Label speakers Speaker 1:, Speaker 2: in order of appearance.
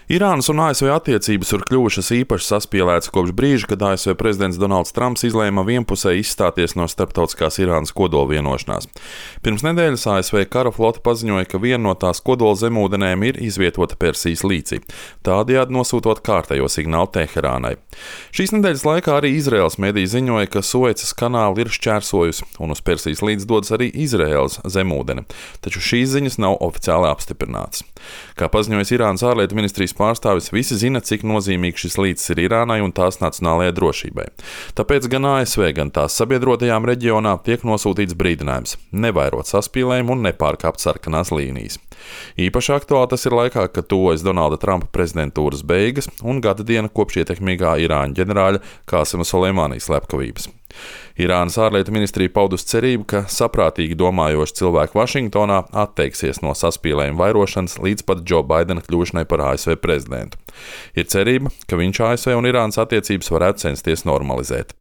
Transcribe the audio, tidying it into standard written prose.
Speaker 1: Irānas un ASV attiecības ir kļuvušas īpaši saspīlētas kopš brīža, kad ASV prezidents Donalds Trumps izlēma vienpusēji izstāties no starptautiskās Irānas kodolvienošanās. Pirms nedēļas ASV kara flote paziņoja, ka viena no tās kodola zemūdenēm ir izvietota Persijas līcī, tādējādi nosūtot kārtējo signālu Teherānai. Šīs nedēļas laikā arī Izraēlas mediji ziņoja, ka Suecas kanāli ir šķērsojusi, un uz Persijas līdzi dodas arī Izraēlas zemūdene, taču šīs ziņas nav oficiāli apstiprinātas. Kā paziņojas Irānas ārlietu ministrijas pārstāvis, visi zina, cik nozīmīgs šis līcis ir Irānai un tās nacionālajai drošībai. Tāpēc gan ASV, gan tās sabiedrotajām reģionā tiek nosūtīts brīdinājums nevairot saspīlējumu un nepārkāpt sarkanās līnijas. Īpaši aktuāli tas ir laikā, kad tuvojas Donalda Trumpa prezidentūras beigas un gada diena kopš ietekmīgā Irāņu ģenerāļa Kāsima Soleimānī slepkavības. Irānas ārlietu ministrija paudusi cerību, ka saprātīgi domājoši cilvēki Vašingtonā atteiksies no saspīlējuma vairošanas līdz pat Džo Baidena kļūšanai par ASV prezidentu. Ir cerība, ka viņš ASV un Irānas attiecības varētu censties normalizēt.